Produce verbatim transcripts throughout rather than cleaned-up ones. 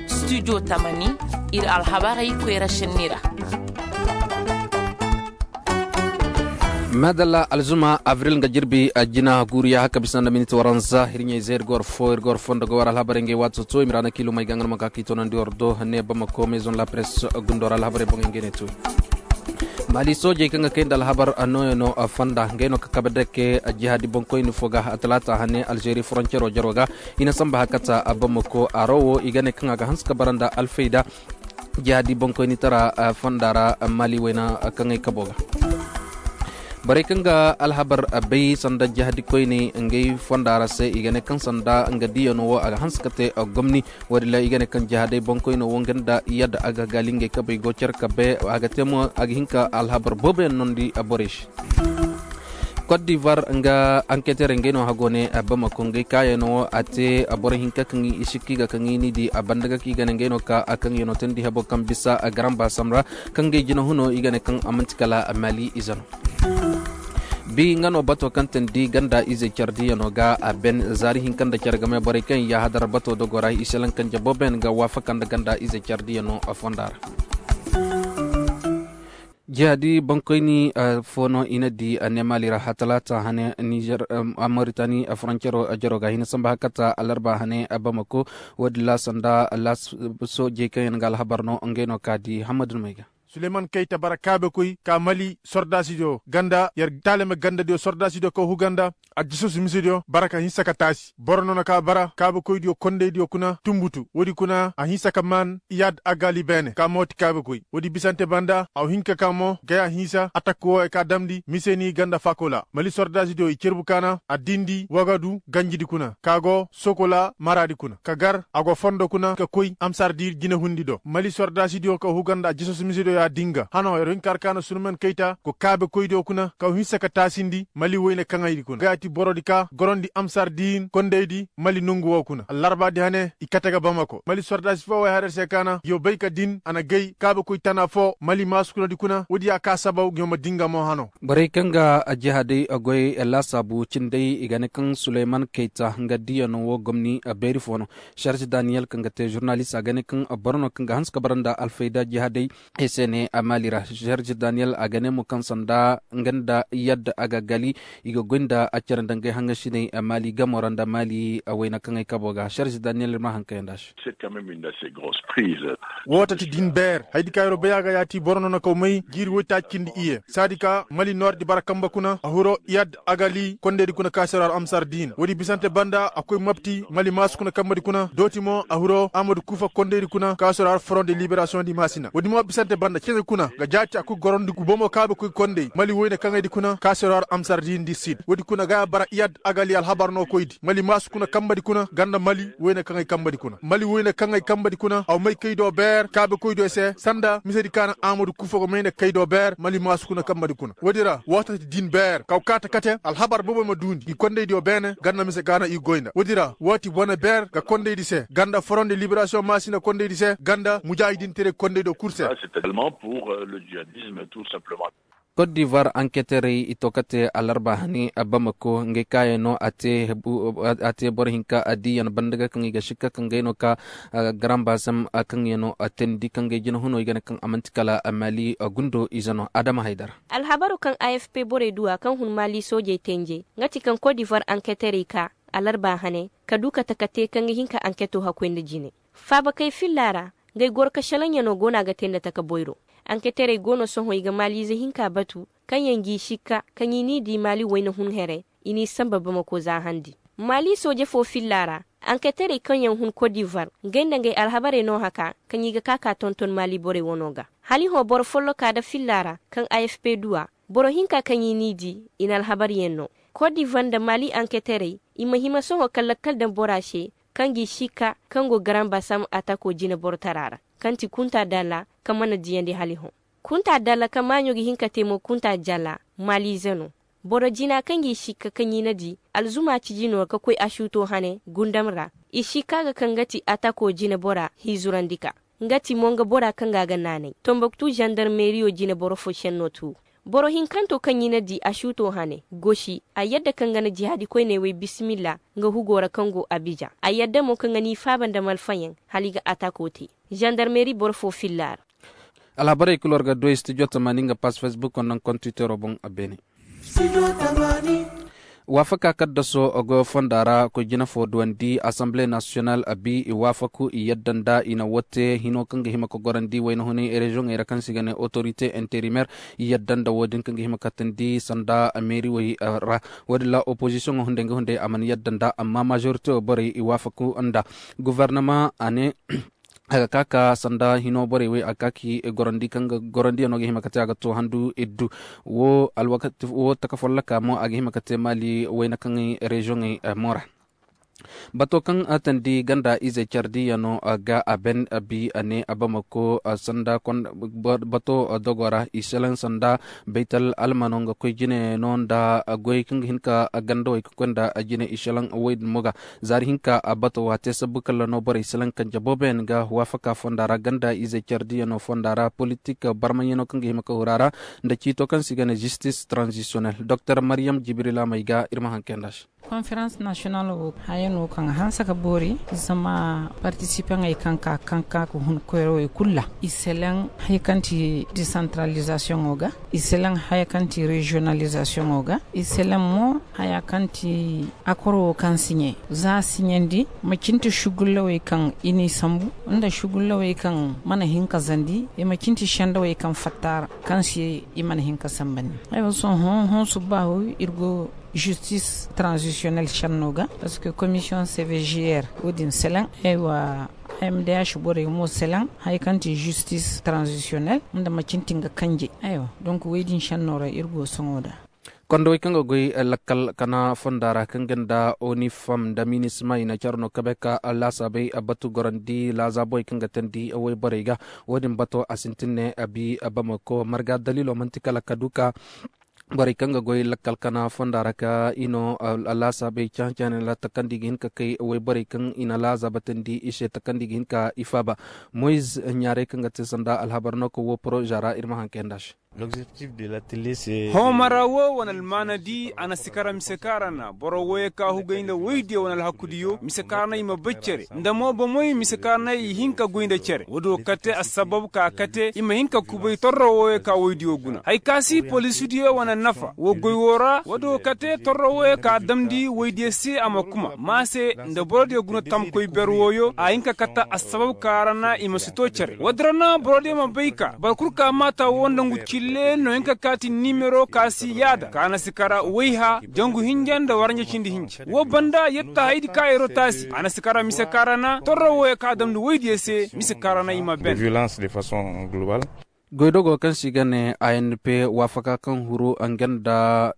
Studio tamani, ir alhabarey koyra šenni ra. Madalla, alzuma avril nga jirbi jina guuriya haka bisa nda miniti waranza hirɲey zey ir ga war fo ir ga war fo nda ga war alhabarey ngey waato to i ma ra na kiilumey ga nga no ma ka ka i toonandi war do ne bamako maison la presse gundo ra alhabarey boŋey ngey ne to. Mali soojey kaŋ ga kay nda alhabar nooyaŋo fonda ngey no ka kabe dake jihaadi boŋkoyni fo ga talaata hane alzeeri foroncero jaro ga i na samba hakata bamako aro wo i ga ne kaŋ a ga hanse ka bara nda alfayda jihaadi boŋkoynitara fonda ra mali wayna kaŋ ay kabo ga. Borey kaŋ ga alhabar bay sanda jihaadi koyney ngey fonda ra se i ga ne kaŋ sanda nga diiyano wo a ga hanse ka te gomni. Woodin ra i ga ne kaŋ jihaadey boŋkoyno wo nga nda yadda a ga gaali ngey kabey go care kabe a ga te mo a ga hin ka alhabar booboyaŋ noondi borey se. Kot divar nga anketerey ngey no hago ne bamako ngey kaayaŋo wo a te boro hinka kaŋ i sikka i ga kaŋ i n'i di a banda ga kaŋ i ga ne ngey no ka a kaŋ yaŋo teendi hebo kaŋ bisa garan baasam ra kaŋ ngey jina huno i ga ne kaŋ a man'ti kala mali ize no. Bi nga no bato kaŋ teendi ganda ize care diyaŋo ga a ben zaari hinka nda care game borey kaŋ i yaahadar bato dogo ra i selaŋ kaŋ jabo ben ga waafaka nda ganda ize care diyaŋo fonda ra. Jihaadi boŋkoyni fo no i na di a ne maali ra ha talaata hane nizer, moritani foroncero jaro ga hina samba hakata alarba hane bamako. Woodin ra sanda soojey kaŋ yaŋ ga alhabar no ngey no ka di hammadu no may ga. Suleyman kayta bara kaabekoy ka mali sordaasidiyo ganda yer taalame gandadiyo sordaasidiyo kaw huganda. Addisos misediyo bara ka hinsa ka taasi boro no na ka bara kaabekoydiyo kondaydiyo kuna tunbutu woodi kuna a hinsa ka maan iyad agali beene ka mooti kaabekoy woodi bisante banda a wa hin ka ka mo gaya hinsa atak wooyo ka damndi miseni ganda fakola mali sordaasidiyo i cerbu kaana a dindi wagadu ganjidi kuna ka go sokola maraadi kuna ka gar a go fondo kuna ka koy amsardiir jinehundi do mali sordaasidiyo ka huganda addisos misediyo ya dinga hano yer hin ka har kaana suleyman kayta go kaabekoydiyo kuna ka wa hinsa ka taasindi mali woyne kaŋaydi kuna gaya ti borodi ka gorondi amsar diin kondaydi mali nongu wo kuna allarbaadi hane i kate ga bamako mali sordaasi foo way har yer se kaana yoo bay ka din a na gay kaabekoy tana foo mali maasukunadi kuna woodi ya ka sabaw ngi ma dinga mo hano. Borey kaŋ ga jihaadey goy laasaabu cindey i ga ne kaŋ suleyman kayta nga diyaŋo wo gomni beeri foo no. Serge daniyel kaŋ ga te žurnalist a ga ne kaŋ boro no kaŋ ga hanse ka bara nda alfayda jihaadey. Ay se ne a maali ra serge daniyel a ga ne mo kaŋ sanda nga nda yadda a ga gali i ga goy nda a care nda ngey haŋasiney maali gamo ra nda maali wayna kaŋ ay kabo ga serge daniyel ir ma haŋ kayanda se. Woo tati din beer haydi ka yeroo bay a ga yaati boro no na kaw may jiiri woytaaci cindi iye saadi ka mali noordi bara kambe kuna a hiro yadda a gali kondaydi kuna ka seroor amsar diina woodi bisante banda a koy mapti mali maasu kuna kambedi kuna dooti mo a hiro amadu kuufa kondaydi kuna ka seroor forondi liberasiyoŋ di maasina woodi mo bisante banda cene kuna ga jaati a koy gorondi gubomo kaabe koy konday mali woyne kaŋaydi kuna ka seroor amsar diina di sid woodi kuna ga bara iyad agali alhabar no koydi mali maasu kuna kambedi kuna ganda mali woyne kaŋay kambedi kuna mali woyne kaŋay kambedi kuna aw may kay do beer kaabe koy do se sanda misedi kaana amadu kuufa go mayne kay do beer mali maasu kuna kambedi kuna woodi ra woo tati din beer kaw kaata kate alhabar bobo ma duundi i kondaydiyo beene ganna mise gaana i goy nda woodi ra woo ti bone beer ga kondaydi se ganda forondi liberasiyoŋ maasina kondaydi se ganda mujaahidintere kondaydiyo kul se. Kot divar anketerey i to kate alarba hani bamako ngey kaayaŋ no a te boro hinka a diiyaŋ banda ga kaŋ i ga sikka kaŋ gay no ka garan baasam kaŋ yaŋ no a teendi kaŋ gay jina huno i ga ne kaŋ a man'ti kala mali gundo ize no adama haydara. Alhabaru kaŋ afp borey du a kaŋ hun maali soojey teenjey nga ti kaŋ kot divar anketerey ka alarba hane ka du kate ka te kaŋ ga hin ka anketo hakkoy nda jine faabakey filla ra. Ngey goro ka šelaŋyaŋo go no a ga te nda taka boyro anketerey go no sohõ i ga maaliize hinka batu kaŋ yaŋ g'i sikka kaŋ i n'i di maali wayna hun here i n'i sanba bamako za handi. Maali sooje fo filla ra anketerey kaŋ yaŋ hun kot divar ngey nda ngey alhabarey no haka kaŋ i ga ka ka tonton maali borey wano ga. Hala i hõ boro folloka nda filla ra kaŋ afp du a boro hinka kaŋ i n'i di i na alhabaryaŋ no. Kot divar nda maali anketerey i ma hima sohõ ka lakkal daŋ bora se kaŋ g'i sikka kaŋ go garan basam atako jine borotara ra kaŋ ti kunta dalla kaŋ mana diyandi hala i hõ. Kunta dalla kaŋ maaɲo ga hin ka te mo kunta jalla maaliize no. Boro jina kaŋ g'i sikka kaŋ i na di alzuma ciji no ka koy asuuto hane gundam ra. I sikka ga kaŋ ga ti atako jine bora hiizurandi ka nga ti mo nga bora kaŋ ga a ga naanay tomboktu zandarmeriyo jine boro fo šenno tu. Boro hinkanto kaŋ i na di a suuto hane gosi a yadda kaŋ ga na jihaadi koyney wey bisimilla nga hugo ra kaŋ go abija a yadda mo kaŋ ga n'i faaba nda malfayaŋ hala i ga atako te zandarmeri boro fo filla ra. Alhabarey kul war ga du ay stijo tamaani nga pass facebook wo naŋ kontitero boŋ a beene. Waafaka kaddaso goyo fonda ra koy jina fo duwandi asamble nasiyonal a bi i waafaku i yadda nda i na wo te hino kaŋ ga hima ka gorandi wayna hunay reziyoŋey ra kaŋ se i ga ne otorite interimer. I yadda nda wo- din kaŋ ga hima ka tandi sanda meeriwey ra. Wo- din ra opozisiyoŋo hunday nga hunday a mana yadda nda amma mazorite wo borey i waafaku nda. Guvernama a ne a ga ka ka sanda hino borey wey a ga ka ki gorandi kaŋ ga gorandiyaŋo ga hima ka te a ga to handu iddu. Wo alwakati wo taka folloka mo a ga hima ka te maali wayna kaŋ reziyoŋey mo ra. Bato kaŋ tandi ganda izey cardiyaŋo ga a ben a bi a ne a bamako sanda bato dogo ra i selaŋ sanda baytal almano nga koy jine no nda goy kaŋ ga hin ka gandawey ka koy nda jine i selaŋ woy din mo ga. Zaari hinka a bato wa te sabbu kalla no borey selaŋ kanje booboyaŋ ga waafaka fonda ra ganda izey cardiyaŋo fonda ra politik barmayaŋo kaŋ ga hima ka hura ra nda ciito kaŋ se i ga ne zistis transisiyonel doktor mariyam jibrila may ga ir ma haŋ kay nda se. Konferans nasiyonal wo haya no kaŋ a hanse ka boori zama partisipaŋey kaŋ ka kaŋ ka ka hun koyrawey kulu ra i selaŋ haya kaŋ ti desantaralizasiyoŋo ga i selaŋ haya kaŋ ti reziyonalizasiyoŋo ga i selaŋ mo haya kaŋ ti akoro wo kaŋ siɲe za siɲandi macin ti sugullawey kaŋ i n'i sambu nda sugullawey kaŋ mana hin ka zandi i macin ti sendawey kaŋ fatta ra kaŋ se i mana hin ka sambandi. Ay wo sohõ hõ subbaahu ir go zistis transisiyonel senno ga parceque komisiyoŋ cvgr wo- din selaŋ ay wa mdh borey mo selaŋ haya kaŋ ti zistis transisiyonel nda macin ti nga kanjey. Ay wa donk wey din senno ra ir go sohõ nda. Kondowey kaŋ ga goy lakkal kana fonda ra kaŋ ga nda onifam nda minisma i na care no kabe ka laasaabey batu gorandi laazaabowey kaŋ ga teendi woyborey ga. Wo- din bato a sintin ne a bi bamako marga daliilo man'ti kala ka du ka borey kaŋ ga goy lakkal kana fonda ra ka i no laasaabey cahã-cahã ne ra takandi ga hin ka kay woyborey kaŋ i na laazaaba teendi i se takandi ga hin ka i faaba. Moyiz ɲaarey kaŋ ga te sanda alhabar no ka wo poroza ra ir ma haŋ kay nda se. Homara wo wane almaanadi a na si kara mise kaŋ a ra na boro wooyo ka hugay nda woydiyo wane alhakudiyo mise kaŋ a ra na i ma bay cere nda mo bomoy mise kaŋ a ra na i hin ka goy nda cere woodiyo kate assabab ka kate i ma hin ka kubay torro wooyo ka woydiyo guna hari ka si polisudiyo wane nafa woo goy woo ra woodiyo kate torro wooyo ka damndi woydiyo se a ma kuma maa se nda borodiyo guna tamkoy ber wooyo a hin ka kate assabab ka ra na i ma si to cere woodi ra na borodiyo ma bay ka boro kul ka maata woo nda ngu cille no hin ka kaati nimero ka si yaada ka na si kara wayha jangu hinja nda waranja cindi hinja woo banda yetta haydi ka yeroo taasi a na si kara mise ka ra na torro wooyo ka damndi woydiyo se mise ka ra na i ma ben. Goydogo kaŋ se i ga ne a n p waafaka kaŋ huru nga nda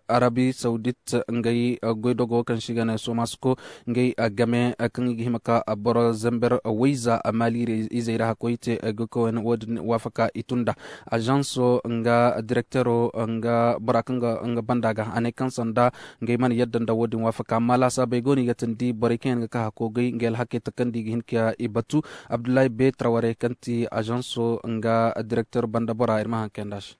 arabi sawdit ngey goydogo kaŋ se i ga ne somasko ngey game kaŋ i ga hima ka boro zember wayza maali izey ra hakkoy te goy koyne wo- din waafaka i tun nda ažanso nga direktero nga bora kaŋ ga nga banda ga a ne kaŋ sanda ngey mana yadda nda wo- din waafaka amma laasaabey go no i ga teendi borey kaŋ yaŋ ga ka hakko gay ngey alhakey takandi i ga hin ka i batu. Abdullahi beetara warey kaŋ ti ažanso nga direkter banda bora ir ma haŋ kay nda se.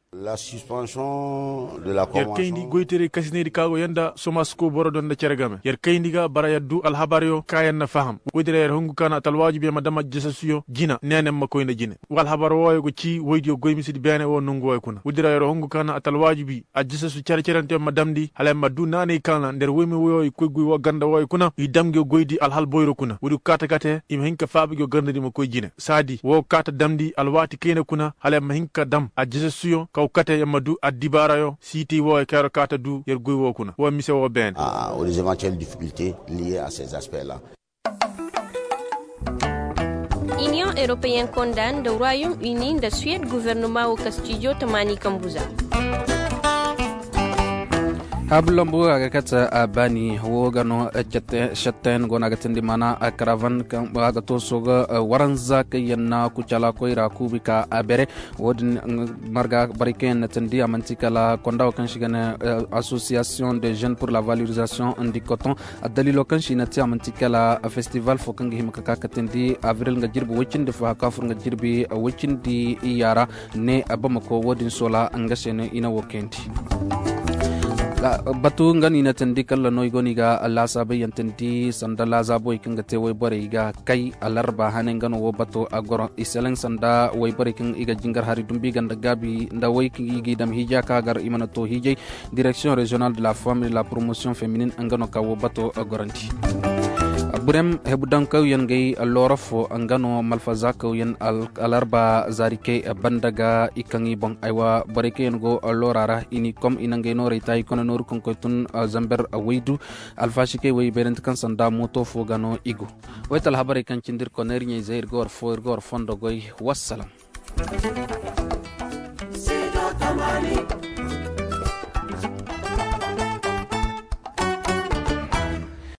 Yer kayndi goytaray kasinaydi ka go yanda somasko boro do nda cere game yer kayndi ga bara yer du alhabaryo ka yer na faham woydi ra yer hungu ka na a ta alwaajibi yer ma dam aljasasuyo jina neene ma koy nda jine. Wa alhabar wooyo go ci woydiyo goy misidi beene woo nongu wooyo kuna woydi ra yer hungu ka na a ta alwaajibi aljasasu cere-cerenteyo ma damndi hala yer ma du naanay kaŋ ra nda yer woyme wooyo i koy goy woo ganda wooyo kuna i dam nge goydi alhal boyro kuna woodi go kaate kate i ma hin ka faaba nge gandadi ma koy jine saadi woo kaate damndi alwaati kayna kuna hala yer ma hin ka dam aljasasuyo kaw kate yer ma du addibaarayo siitay wooyo kaŋ yer kaate du yer goy woo kuna woo mise woo beene. Iniyoŋ eropeyen konda nda royom ini nda suwed gofornoma woo ka stijo tamaani kambuza. Abu lambu a ga kate a baani wo ga no. Sette yaŋ go no a ga tindi maana a karavan kaŋ a ga to sooga waranza kaŋ yaŋ na kucala koyra kuubi ka a bere. Wo-din marga borey kaŋ yaŋ na tindi a manti kala konda wo kaŋ si ga ne association de jeunes pour la valorisation du coton. Addaliilo kaŋ si na te a manti kala festival fo kaŋ ga hima ka ka ka tindi abril nga jirbi woy cindi fo haka fur nga jirbi woy cindi iyya ra. Ne bamako wo-din soola nga se no i na wo kayandi. Batu nga no i na tandi kalla no i go no i ga laasaabay yaŋ tandi sanda laazaabowey kaŋ ga te wayborey ga kay alarba hane nga no wo bato a goro i seleŋ sanda wayborey kaŋ i ga jingar hari dumbi ganda gaabi nda way kaŋ i g'i dam hiija ka gar i mana to hiijay. Direction régionale de la femme et la promotion féminine nga no ka wo bato gorandi. Burem hebudankawyaŋ gay loora fo nga no malfazakawyaŋ alarba zaarikey banda ga i kaŋ i boŋ aywa borey kaŋ yaŋ go loora ra i n'i kom i na ngey noorey ta i kone nooru kaŋ koy tun zamber waydu. Alfaasikey way beerante kaŋ sanda mooto fo ga no i go. Wayta alhabarey kaŋ cindi ir kone ir ɲayzey ir ga war fo ir ga war fondo goy. Wassalam.